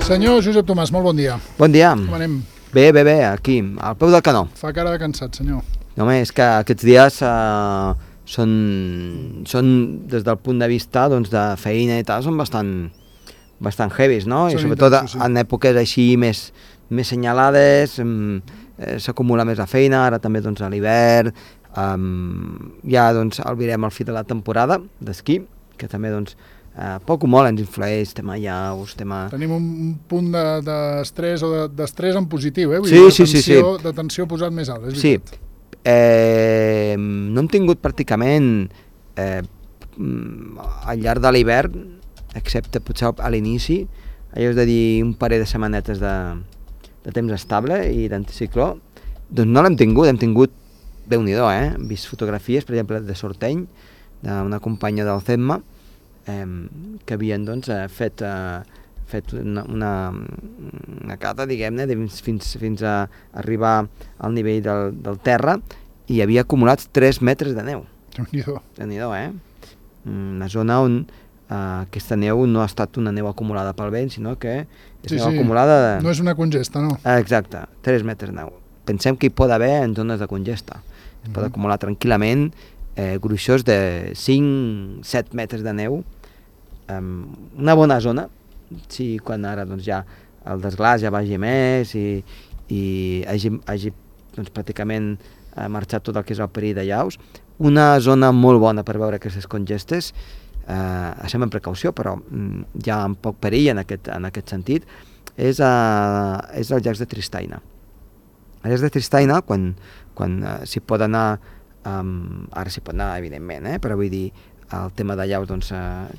Senyor Josep Tomàs, molt bon dia. Bon dia. Com anem? Bé, aquí, al peu del canó. Fa cara de cansat, senyor. No, és que aquests dies són, des del punt de vista doncs, de feina i tal, són bastant heavies, no? I sobretot en èpoques així més senyalades, s'acumula més la feina, ara també doncs, a l'hivern, ja doncs, albirem el fi de la temporada d'esquí, que també doncs, poc o molt ens influeix, tema llaus, tema... Tenim un punt d'estrès o d'estrès en positiu, eh? Sí. De tensió posat més alt, és veritat. Sí. No hem tingut pràcticament al llarg de l'hivern, excepte potser a l'inici, allò és de dir un parell de setmanetes de temps estable i d'anticicló, doncs no l'hem tingut, Déu-n'hi-do, hem vist fotografies, per exemple, de Sorteny, d'una companya del CEMMA, que havien doncs, fet una cata, diguem-ne, fins a arribar al nivell del terra, i havia acumulat 3 metres de neu. Déu-n'hi-do, una zona on aquesta neu no ha estat una neu acumulada pel vent, sinó que és neu acumulada... No és una congesta, no? Exacte, 3 metres de neu. Pensem que hi pot haver en zones de congesta. Es pot acumular tranquil·lament gruixos de 5-7 metres de neu, una bona zona, si quan ara doncs, ja el desglàs ja vagi més i hagi doncs, pràcticament marxat tot el que és el perill de llaus, una zona molt bona per veure aquestes congestes, això amb precaució, però hi ha poc perill en aquest sentit, és els llacs de Tristaina. Els llacs de Tristaina, quan s'hi pot anar, ara s'hi pot anar evidentment, però vull dir, el tema de llaus doncs,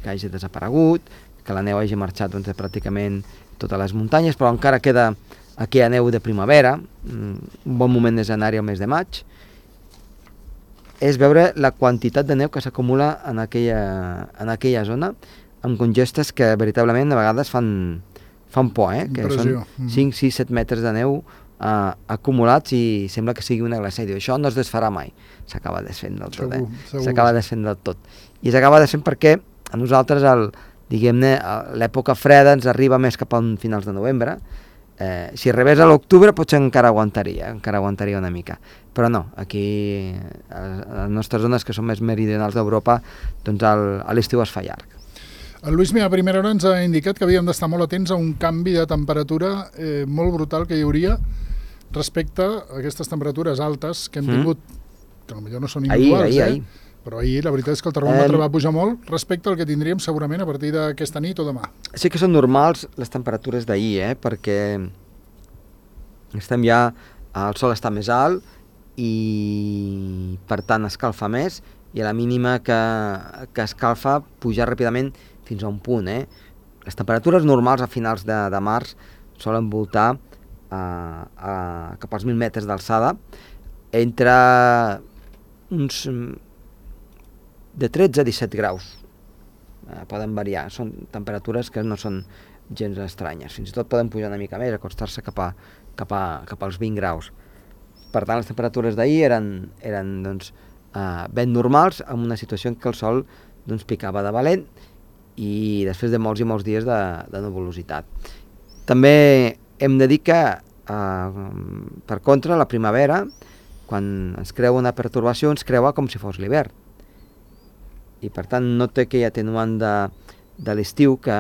que hagi desaparegut, que la neu hagi marxat doncs, pràcticament totes les muntanyes, però encara queda aquella neu de primavera, un bon moment és anar-hi al mes de maig, és veure la quantitat de neu que s'acumula en aquella zona, amb congestes que veritablement a vegades fan por, que són 5, 6, 7 metres de neu acumulats i sembla que sigui una glaçada. Això no es desfarà mai, s'acaba desfent del tot. S'acaba desfent del tot. I s'acaba desfent perquè a nosaltres diguem-ne, l'època freda ens arriba més cap a finals de novembre. Si rebés a l'octubre potser encara aguantaria una mica, però no, aquí a les nostres zones que són més meridionals d'Europa, doncs a l'estiu es fa llarg. El Lluís, a primera hora ens ha indicat que havíem d'estar molt atents a un canvi de temperatura molt brutal que hi hauria respecte a aquestes temperatures altes que hem tingut, que potser no són iguals, ahir. Però ahir la veritat és que el termòmetre va pujar molt respecte al que tindríem segurament a partir d'aquesta nit o demà. Sí que són normals les temperatures d'ahir, perquè estem ja, el sol està més alt i per tant escalfa més, i a la mínima que escalfa puja ràpidament fins a un punt. Les temperatures normals a finals de març solen voltar cap als 1.000 metres d'alçada, entre uns de 13 a 17 graus. Poden variar, són temperatures que no són gens estranyes, fins i tot poden pujar una mica més, acostar-se cap als 20 graus. Per tant, les temperatures d'ahir eren doncs, ben normals, amb una situació en què el sol doncs, picava de valent i després de molts i molts dies de nuvolositat. També hem de dir que, per contra, la primavera, quan ens creua una pertorbació, ens creua com si fos l'hivern. I per tant no té aquell atenuant de l'estiu que,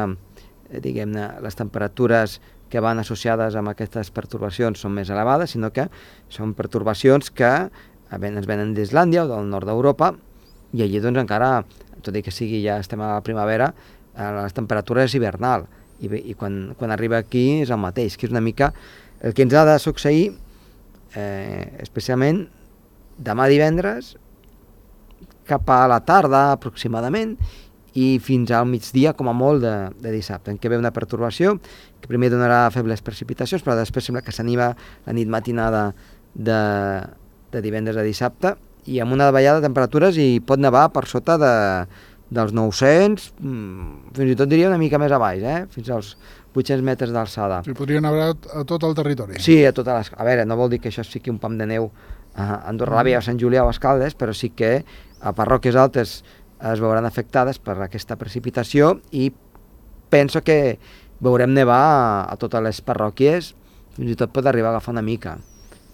diguem-ne, les temperatures que van associades amb aquestes pertorbacions són més elevades, sinó que són pertorbacions que ens venen d'Islàndia o del nord d'Europa, i allí doncs encara, tot i que sigui ja estem a la primavera, la temperatura és hivernal, i quan arriba aquí és el mateix, que és una mica el que ens ha de succeir, especialment demà divendres, cap a la tarda aproximadament, i fins al migdia com a molt de dissabte, en què ve una pertorbació que primer donarà febles precipitacions, però després sembla que s'anima la nit matinada de divendres a dissabte, i amb una davallada de temperatures i pot nevar per sota dels 900, fins i tot diria una mica més a baix, fins als 800 metres d'alçada. I podria nevar a tot el territori. Sí, a veure, no vol dir que això sigui un pam de neu a Andorra la Vella, a Sant Julià o a Escaldes, però sí que a parròquies altes es veuran afectades per aquesta precipitació, i penso que veurem nevar a totes les parròquies, fins i tot pot arribar a agafar una mica.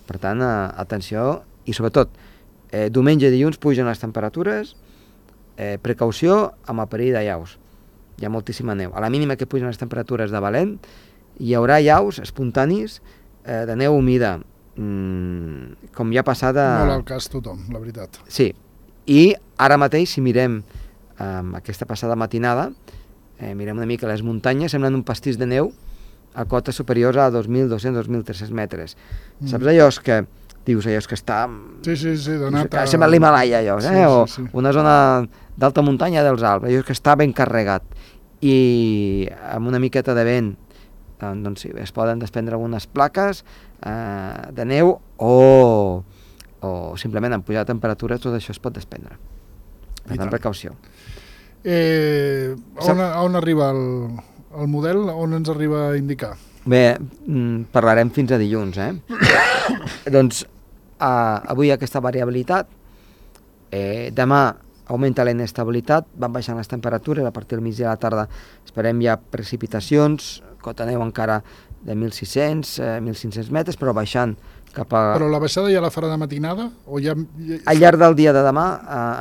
Per tant, atenció, i sobretot, diumenge i dilluns pugen les temperatures, precaució amb el perill de llaus. Hi ha moltíssima neu. A la mínima que pugen les temperatures de valent, hi haurà llaus espontanis de neu humida, com ja ha passat Molt al cas tothom, la veritat. Sí, i ara mateix, si mirem aquesta passada matinada, mirem una mica les muntanyes, semblen un pastís de neu a cotes superiors a 2.200-2.300 metres. Saps allò que dius, allò que està... Sí, donat a... Sembla l'Himalaya, allò, Sí. o una zona d'alta muntanya dels Alps, allò que està ben carregat. I amb una miqueta de vent, doncs sí, es poden desprendre algunes plaques de neu o simplement amb pujada de temperatures tot això es pot desprendre. Per tant, precaució. On arriba el model? On ens arriba a indicar? Bé, parlarem fins a dilluns, Doncs avui aquesta variabilitat, demà augmenta la inestabilitat, van baixant les temperatures, a partir del migdia a la tarda esperem ja precipitacions, cota neu encara de 1.600, 1.500 metres, però baixant cap a... Però la baixada ja la farà de matinada? O ja... Al llarg del dia de demà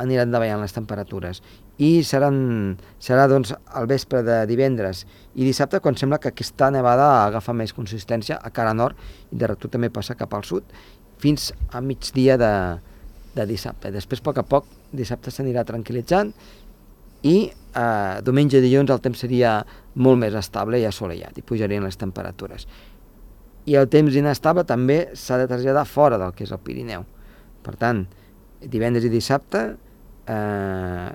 aniran davallant les temperatures i serà doncs al vespre de divendres i dissabte quan sembla que aquesta nevada agafa més consistència a cara nord i de retut també passa cap al sud fins a migdia de dissabte. Després, a poc, dissabte s'anirà tranquil·litzant i diumenge i dilluns el temps seria molt més estable i assolellat i pujarien les temperatures. I el temps inestable també s'ha de traslladar fora del que és el Pirineu. Per tant, divendres i dissabte a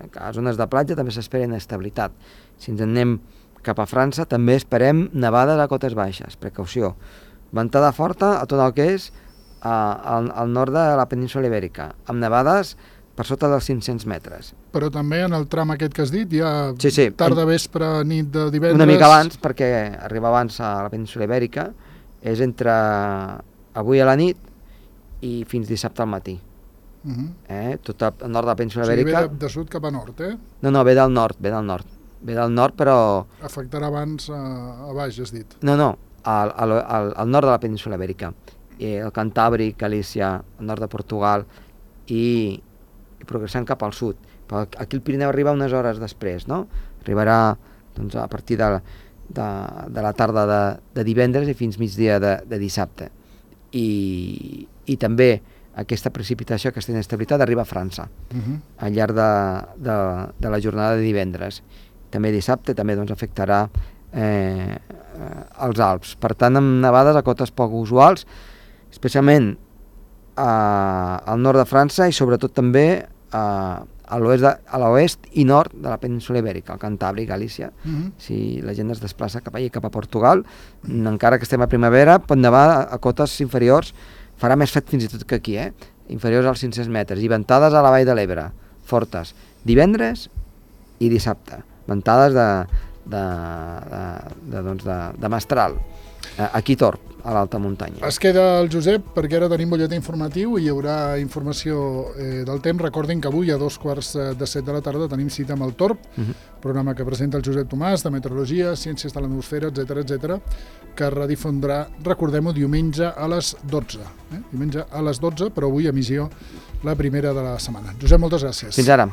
les zones de platja també s'espera inestabilitat. Si ens anem cap a França també esperem nevades a cotes baixes, precaució. Ventada forta a tot el que és al nord de la península Ibèrica, amb nevades per sota dels 500 metres. Però també en el tram aquest que has dit, ja sí. Tarda, vespre, nit de divendres... Una mica abans, perquè arriba abans a la península Ibèrica, és entre avui a la nit i fins dissabte al matí. Tot el nord de la península Ibèrica... Ve de sud cap a nord, No, ve del nord. Ve del nord, però... Afectarà abans a baix, has dit. No, al nord de la península Ibèrica. El Cantàbric, Galícia, el nord de Portugal i progressant cap al sud. Però aquí el Pirineu arriba unes hores després, no? Arribarà doncs, a partir de la tarda de divendres i fins migdia de dissabte. I també aquesta precipitació, aquesta inestabilitat arriba a França al llarg de la jornada de divendres. També dissabte també doncs, afectarà els Alps. Per tant, amb nevades a cotes poc usuals, especialment al nord de França i sobretot també a l'oest i nord de la península Ibèrica, al Cantàbric, Galícia. Si la gent es desplaça cap allà, cap a Portugal, encara que estem a primavera, pot nevar a cotes inferiors, farà més fred fins i tot que aquí, inferiors als 500 metres, i ventades a la vall de l'Ebre, fortes, divendres i dissabte, ventades de mestral, aquí Torp, a l'alta muntanya. Es queda el Josep perquè ara tenim butlletí informatiu i hi haurà informació del temps. Recordin que avui a 2:15 de la tarda tenim cita amb el Torp, programa que presenta el Josep Tomàs de Meteorologia, Ciències de l'Atmosfera, etc, que redifondrà, recordem-ho, diumenge a les 12. Diumenge a les 12, però avui emissió la primera de la setmana. Josep, moltes gràcies. Fins ara.